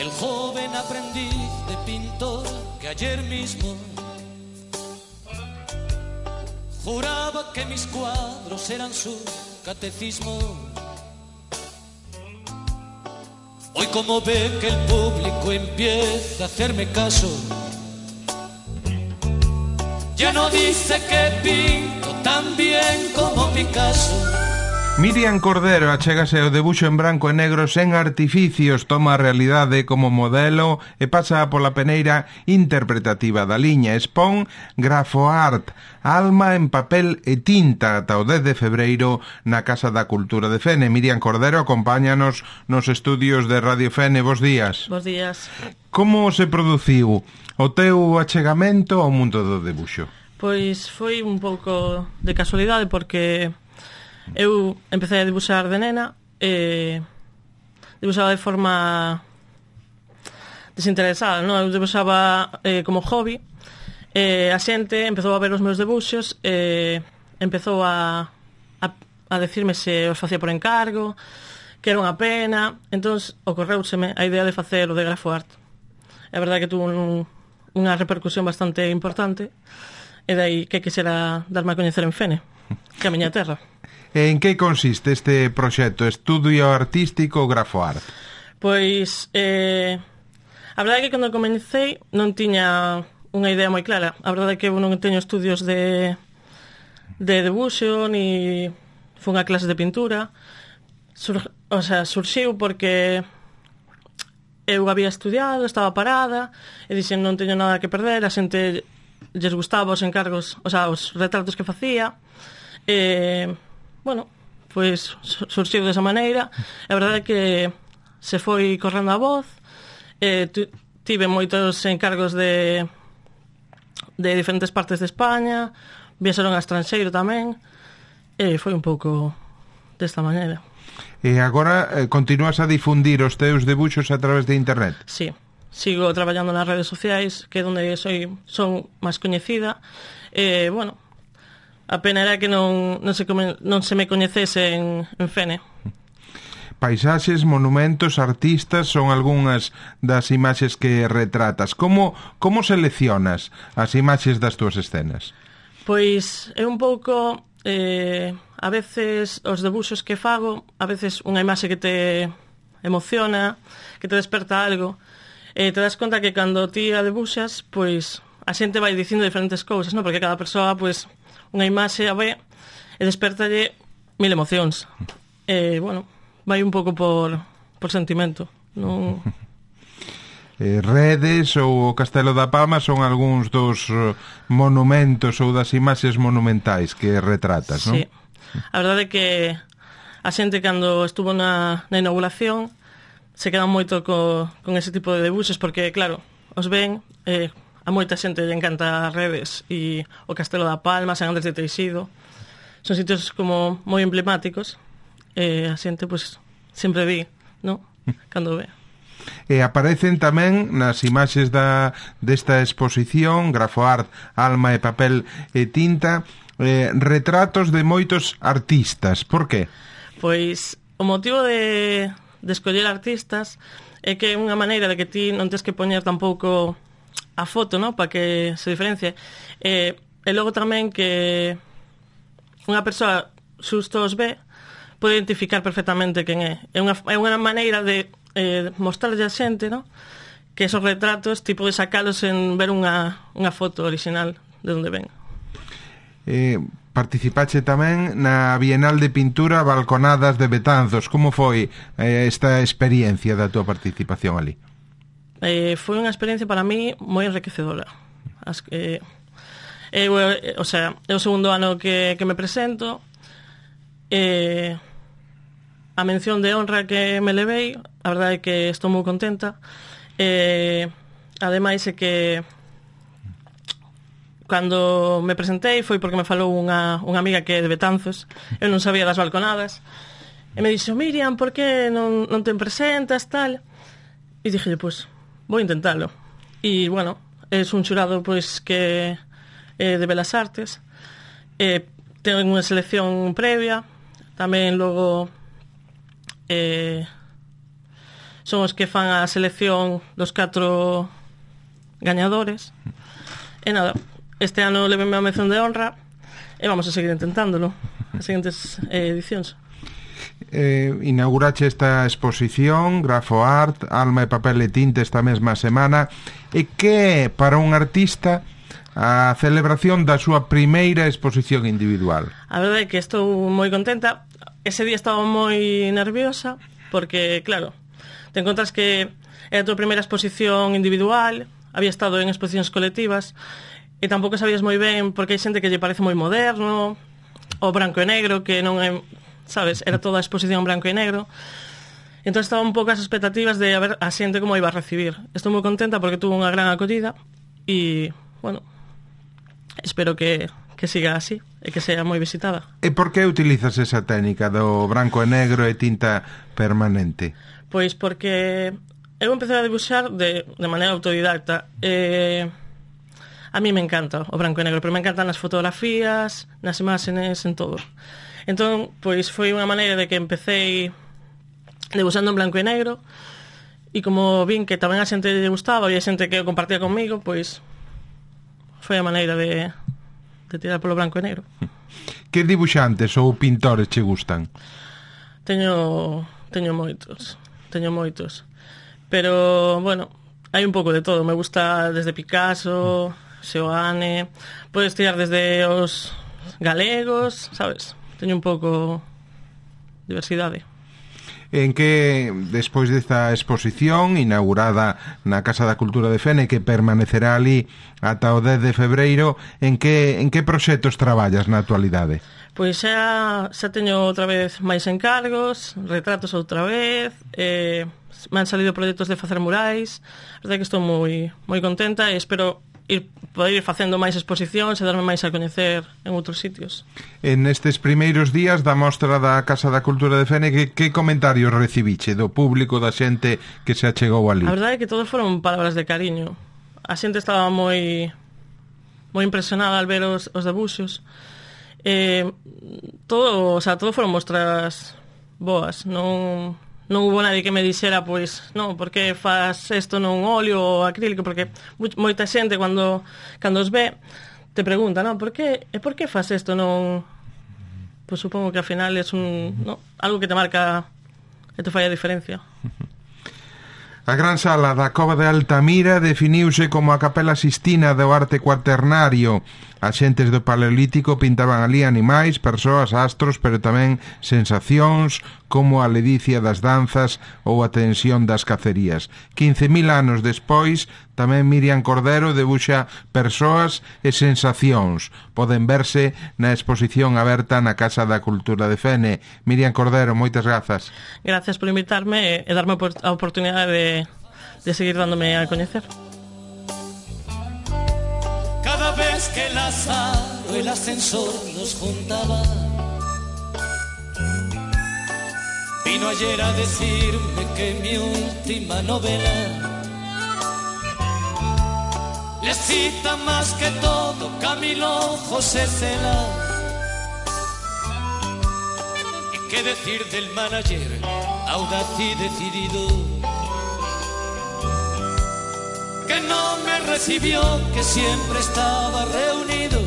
el joven aprendiz de pintor que ayer mismo juraba que mis cuadros eran su catecismo. Hoy, como ve que el público empieza a hacerme caso, ya no dice que pinto tan bien como Picasso. Miriam Cordero achégase ao debuxo en branco e negro sen artificios, toma a realidade como modelo e pasa pola peneira interpretativa da liña. Expón Grafoart, alma en papel e tinta, ata o 10 de febreiro na Casa da Cultura de Fene. Miriam Cordero acompáñanos nos estudios de Radio Fene. Bos días. Bos días. Como se produciu o teu achegamento ao mundo do debuxo? Pois foi un pouco de casualidade, porque eu empecé a dibuixar de nena e dibuixaba de forma desinteresada, non? Eu dibuixaba como hobby e a xente empezou a ver os meus debuxos e empezou a decirme se os facía por encargo, que era unha pena. Entón ocorreuseme a idea de facer o de Grafoart. É verdade que tuvo unha repercusión bastante importante e dai que quixera darme a coñecer en Fene, que é a miña terra. En que consiste este proxecto? Estudio artístico Grafoart? Pois, a verdade é que cando comecei non tiña unha idea moi clara. A verdade é que eu non teño estudios de debuxo, ni foi unha clase de pintura. Surxiu porque eu había estudiado, estaba parada, e dixen non teño nada que perder, a xente lles gustaba os encargos, os retratos que facía, e bueno, pois surxiu desa maneira. A verdade é que se foi correndo a voz, tive moitos encargos de diferentes partes de España, viaxaron a estranxeiro tamén, e foi un pouco desta maneira. E agora continúas a difundir os teus debuxos a través de internet? Sí, sigo traballando nas redes sociais, que é onde son máis coñecida, e bueno, a pena era que non se me coñecese en Fene. Paisaxes, monumentos, artistas son algunhas das imaxes que retratas. Como seleccionas as imaxes das túas escenas? Pois é un pouco, a veces os debuxos que fago, a veces unha imaxe que te emociona, que te desperta algo, e te das conta que cando ti a debuxas, pois a xente vai dicindo diferentes cousas, non? Porque cada persoa, pois, unha imaxe a ve e despertalle 1000 emocións. E, bueno, vai un pouco por sentimento, non? Redes ou o Castelo da Palma son algúns dos monumentos ou das imaxes monumentais que retratas, non? Sí. A verdade é que a xente, cando estuvo na inauguración, se quedan moito con ese tipo de debuxos, porque, claro, os ven, a moita xente lle encanta as Redes e o Castelo da Palma, San Andrés de Teixido. Son sitios como moi emblemáticos, e a xente, pois, sempre di, non? Cando ve. E aparecen tamén nas imaxes desta exposición Grafoart, alma e papel e tinta, retratos de moitos artistas. Por qué? Pois o motivo de escoller artistas é que é unha maneira de que ti non tes que poñer tampouco a foto, non? Para que se diferencie. E logo tamén que unha persoa xusto os ve pode identificar perfectamente quen é. É unha maneira de mostrarlle a xente, non? Que esos retratos ti podes sacalos en ver unha foto original de onde ven. Participache tamén na Bienal de Pintura Balconadas de Betanzos. Como foi esta experiencia da tua participación ali? Foi unha experiencia para mí moi enriquecedora. É o segundo ano que me presento, a mención de honra que me levei, a verdade é que estou moi contenta. Ademais é que cando me presentei foi porque me falou unha amiga que é de Betanzos. Eu non sabía das balconadas e me dixo: Miriam, por que non te presentas, tal? E dixelle, pois, vou intentalo. E, bueno, é un xurado, pois, que é de Belas Artes, ten unha selección previa, tamén logo son os que fan a selección dos 4 gañadores. E nada, este ano leveme a mención de honra e vamos a seguir intentándolo as seguintes edicións. Inaugurache esta exposición Grafo Art, Alma e Papel e Tinta esta mesma semana, e que para un artista a celebración da súa primeira exposición individual? A verdade é que estou moi contenta. Ese día estaba moi nerviosa porque, claro, te encontras que é a tua primeira exposición individual, había estado en exposicións colectivas e tampouco sabías moi ben porque hai xente que lle parece moi moderno, o branco e negro, que non é, sabes, era toda a exposición branco e negro. Entón estaba un pouco as expectativas de a ver a xente como iba a recibir. Estou moi contenta porque tuvo unha gran acollida e, bueno, espero que siga así e que sea moi visitada. E por que utilizas esa técnica do branco e negro e tinta permanente? Pois porque eu empecé a dibuixar de maneira autodidacta. A mí me encanta o branco e negro, pero me encantan as fotografías, nas imaxes, en todo. Entón, pois foi unha maneira de que empecé dibuixando en blanco e negro e como vin que tamén a xente lle gustaba e a xente que o compartía comigo, pois foi a maneira de tirar polo branco e negro. Que dibuixantes ou pintores che gustan? Teño moitos. Pero, bueno, hai un pouco de todo. Me gusta desde Picasso, Seoane, podes tirar desde os galegos, sabes? Teño un pouco diversidade. En que, despois desta exposición inaugurada na Casa da Cultura de Fene, que permanecerá ali ata o 10 de febreiro, en que proxectos traballas na actualidade? Pois xa teño outra vez máis encargos, retratos outra vez, me han salido proxectos de facer murais. A verdade que estou moi contenta e espero poder ir facendo máis exposicións e darme máis a coñecer en outros sitios. En estes primeiros días da mostra da Casa da Cultura de Fene, que comentarios recibiche do público, da xente que se achegou ali? A verdade é que todos foron palabras de cariño. A xente estaba moi impresionada al ver os debuxos. Todo foron mostras boas. Non hubo nadie que me dixera, pois, non, por que faz isto non óleo ou acrílico, porque moita xente cando os ve te pregunta, non, por que faz isto non... Pois supongo que ao final é algo que te marca e te fai a diferencia. A gran sala da Cova de Altamira definiuse como a Capela Sistina do arte cuaternario. As xentes do Paleolítico pintaban ali animais, persoas, astros, pero tamén sensacións como a ledicia das danzas ou a tensión das cacerías. 15.000 anos despois, tamén Miriam Cordero debuxa persoas e sensacións. Poden verse na exposición aberta na Casa da Cultura de Fene. Miriam Cordero, moitas grazas. Gracias por invitarme e darme a oportunidade de seguir dándome a coñecer. Cada vez que el azar o el ascensor nos juntaba, vino ayer a decirme que mi última novela le cita más que todo Camilo José Cela. ¿Y qué decir del manager audaz y decidido, que no me recibió, que siempre estaba reunido